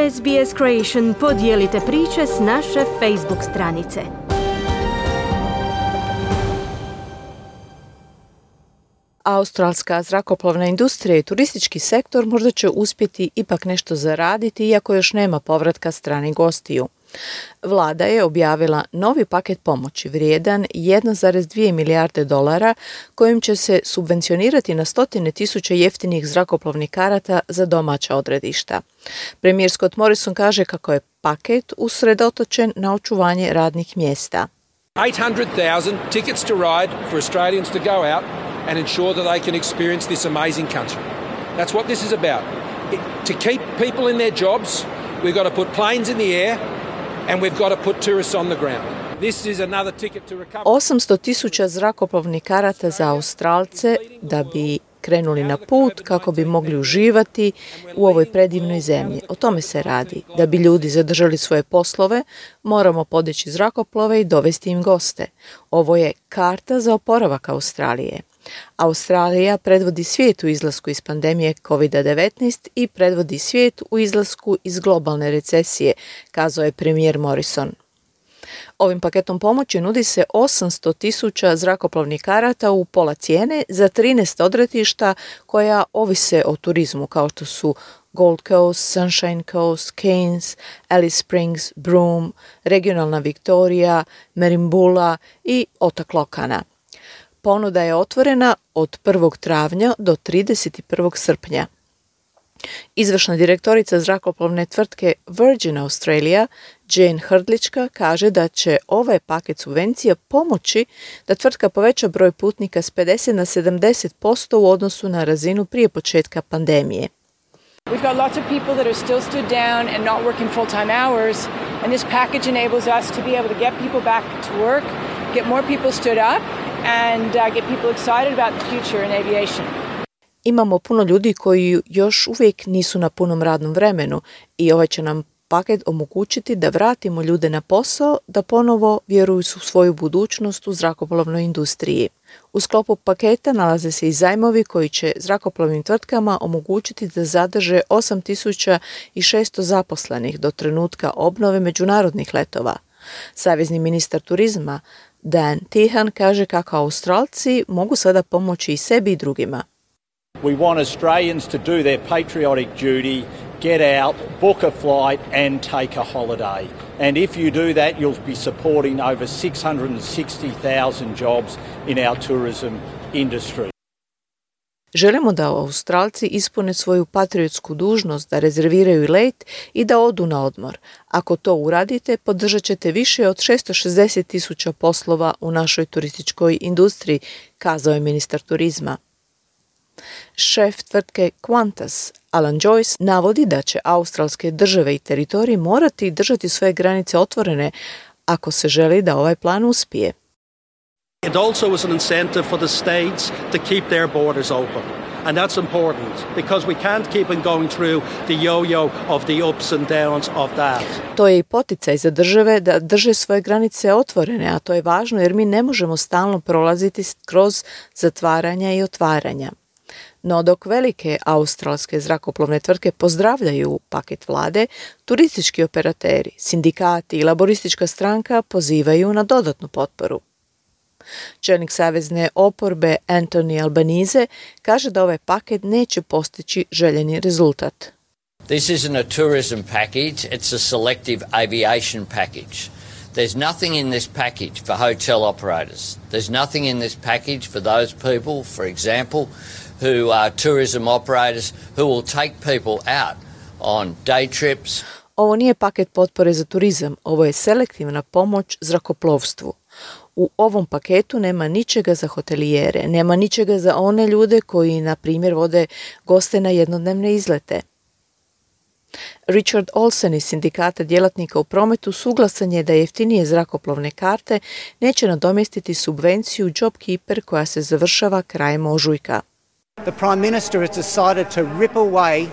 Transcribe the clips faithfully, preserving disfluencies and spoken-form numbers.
S B S Creation podijelite priče s naše Facebook stranice. Australska zrakoplovna industrija i turistički sektor možda će uspjeti ipak nešto zaraditi, iako još nema povratka stranih gostiju. Vlada je objavila novi paket pomoći vrijedan jedan zarez dvije milijarde dolara kojim će se subvencionirati na stotine tisuća jeftinih zrakoplovnih karata za domaća odredišta. Premijer Scott Morrison kaže kako je paket usredotočen na očuvanje radnih mjesta. eight hundred thousand tickets to ride for Australians to go out and ensure that they can experience this amazing country. That's what this is about. It, to keep people in their jobs, we've got to put planes in the air and we've got to put tourists on the ground. This is another ticket to recover. osamsto tisuća zrakoplovnih karata za Australce da bi krenuli na put kako bi mogli uživati u ovoj predivnoj zemlji. O tome se radi. Da bi ljudi zadržali svoje poslove, moramo podići zrakoplove i dovesti im goste. Ovo je karta za oporavak Australije. Australija predvodi svijet u izlasku iz pandemije kovid devetnaest i predvodi svijet u izlasku iz globalne recesije, kazao je premijer Morrison. Ovim paketom pomoći nudi se osamsto tisuća zrakoplovnih karata u pola cijene za trinaest odredišta koja ovise o turizmu, kao što su Gold Coast, Sunshine Coast, Cairns, Alice Springs, Broome, regionalna Victoria, Merimbula i otok Lokana. Ponuda je otvorena od prvog travnja do trideset prvog srpnja. Izvršna direktorica zrakoplovne tvrtke Virgin Australia, Jane Hrdlička, kaže da će ovaj paket subvencija pomoći da tvrtka poveća broj putnika s pedeset na sedamdeset posto u odnosu na razinu prije početka pandemije. We've got lots of people that are still stood down and not working full-time hours, and this package enables us to be able to get people back to work, get more people stood up, and uh, get people excited about the future in aviation. Imamo puno ljudi koji još uvijek nisu na punom radnom vremenu i ovaj će nam paket omogućiti da vratimo ljude na posao, da ponovo vjeruju u svoju budućnost u zrakoplovnoj industriji. U sklopu paketa nalaze se i zajmovi koji će zrakoplovnim tvrtkama omogućiti da zadrže osam tisuća šesto zaposlenih do trenutka obnove međunarodnih letova. Savezni ministar turizma Dan Tehan kaže kako Australci mogu sada pomoći i sebi i drugima. We want Australians to do their patriotic duty, get out, book a flight and take a holiday. And if you do that, you'll be supporting over six hundred sixty thousand jobs in our tourism industry. Želimo da Australci ispune svoju patriotsku dužnost, da rezerviraju let i da odu na odmor. Ako to uradite, podržat ćete više od šesto šezdeset tisuća poslova u našoj turističkoj industriji, kazao je ministar turizma. Šef tvrtke Qantas, Alan Joyce, navodi da će australske države i teritoriji morati držati svoje granice otvorene ako se želi da ovaj plan uspije. It also is an incentive for the states to keep their borders open. And that's important because we can't keep on going through the yo-yo of the ups and downs of that. To je i poticaj za države da drže svoje granice otvorene, a to je važno jer mi ne možemo stalno prolaziti kroz zatvaranja i otvaranja. No dok velike australske zrakoplovne tvrtke pozdravljaju paket vlade, turistički operateri, sindikati i laboristička stranka pozivaju na dodatnu potporu. Čelnik savezne oporbe Anthony Albanese kaže da ovaj paket neće postići željeni rezultat. This isn't a tourism package, it's a selective aviation package. There's nothing in this package for hotel operators. There's nothing in this package for those people, for example, who are tourism operators who will take people out on day trips. Ovo nije paket potpore za turizam, ovo je selektivna pomoć zrakoplovstvu. U ovom paketu nema ničega za hotelijere, nema ničega za one ljude koji, na primjer, vode goste na jednodnevne izlete. Richard Olsen iz sindikata djelatnika u prometu suglasan je da jeftinije zrakoplovne karte neće nadomjestiti subvenciju JobKeeper koja se završava krajem ožujka. The Prime Minister has decided to rip away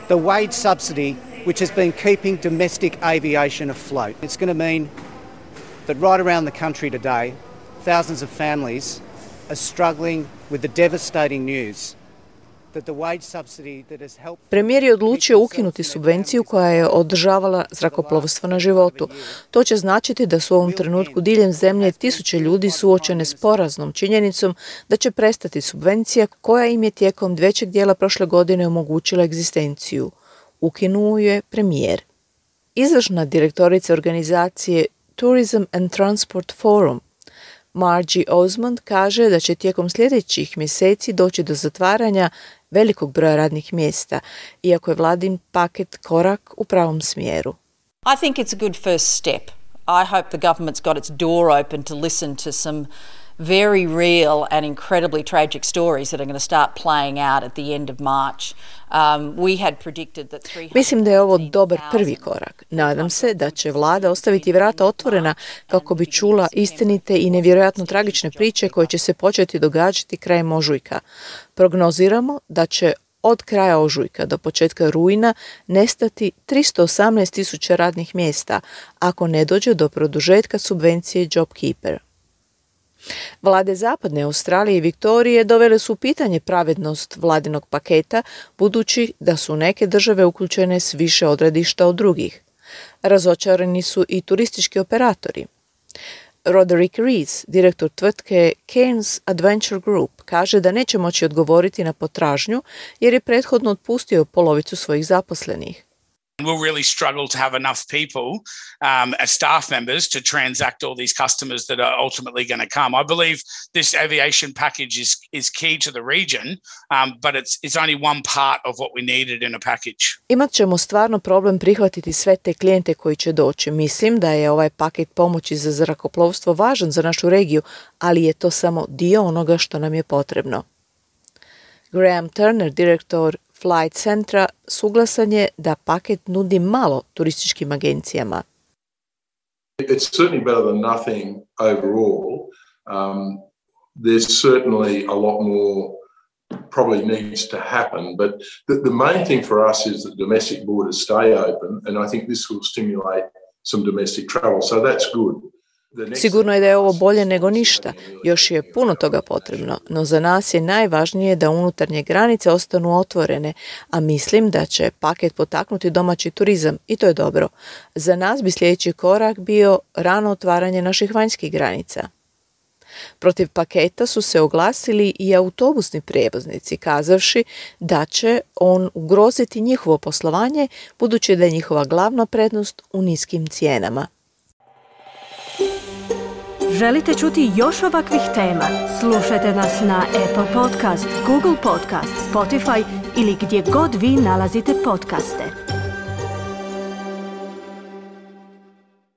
the wage subsidy which has been keeping domestic aviation afloat. It's going to mean that right around the country today, thousands of families are struggling with the devastating news that the wage subsidy that has helped... Premijer je odlučio ukinuti subvenciju koja je održavala zrakoplovstvo na životu. To će značiti da su u ovom trenutku diljem zemlje tisuće ljudi suočene s poraznom činjenicom da će prestati subvencija koja im je tijekom većeg dijela prošle godine omogućila egzistenciju. Ukinuo je premijer. Izvršna direktorica organizacije Tourism and Transport Forum, Margie Osmond, kaže da će tijekom sljedećih mjeseci doći do zatvaranja velikog broja radnih mjesta, iako je vladin paket korak u pravom smjeru. I think it's a good first step. I hope the government's got its door open to listen to some very real and incredibly tragic stories that are going to start playing out at the end of March. Um, we had predicted that three hundred Mislim da je ovo dobar prvi korak. Nadam se da će vlada ostaviti vrata otvorena kako bi čula istinite i nevjerojatno tragične priče koje će se početi događati krajem ožujka. Prognoziramo da će od kraja ožujka do početka rujna nestati tristo osamnaest tisuća radnih mjesta ako ne dođe do produžetka subvencije JobKeeper. Vlade Zapadne Australije i Viktorije dovele su u pitanje pravednost vladinog paketa, budući da su neke države uključene s više odredišta od drugih. Razočarani su i turistički operatori. Roderick Rees, direktor tvrtke Cairns Adventure Group, kaže da neće moći odgovoriti na potražnju jer je prethodno otpustio polovicu svojih zaposlenih. We'll really struggle to have enough people um, as staff members to transact all these customers that are ultimately going to come. I believe this aviation package is is key to the region, um, but it's it's only one part of what we needed in a package. Imat ćemo stvarno problem prihvatiti sve te klijente koji će doći. Mislim da je ovaj paket pomoći za zrakoplovstvo važan za našu regiju, ali je to samo dio onoga što nam je potrebno. Graham Turner, direktor Flight Centra, suglasan je da paket nudi malo turističkim agencijama. It's certainly better than nothing overall. Um, there's certainly a lot more probably needs to happen, but the, the main thing for us is that domestic borders stay open, and I think this will stimulate some domestic travel, so that's good. Sigurno je da je ovo bolje nego ništa. Još je puno toga potrebno, no za nas je najvažnije da unutarnje granice ostanu otvorene, a mislim da će paket potaknuti domaći turizam i to je dobro. Za nas bi sljedeći korak bio rano otvaranje naših vanjskih granica. Protiv paketa su se oglasili i autobusni prijevoznici, kazavši da će on ugroziti njihovo poslovanje, budući da je njihova glavna prednost u niskim cijenama. Želite čuti još ovakvih tema? Slušajte nas na Apple Podcast, Google Podcast, Spotify ili gdje god vi nalazite podcaste.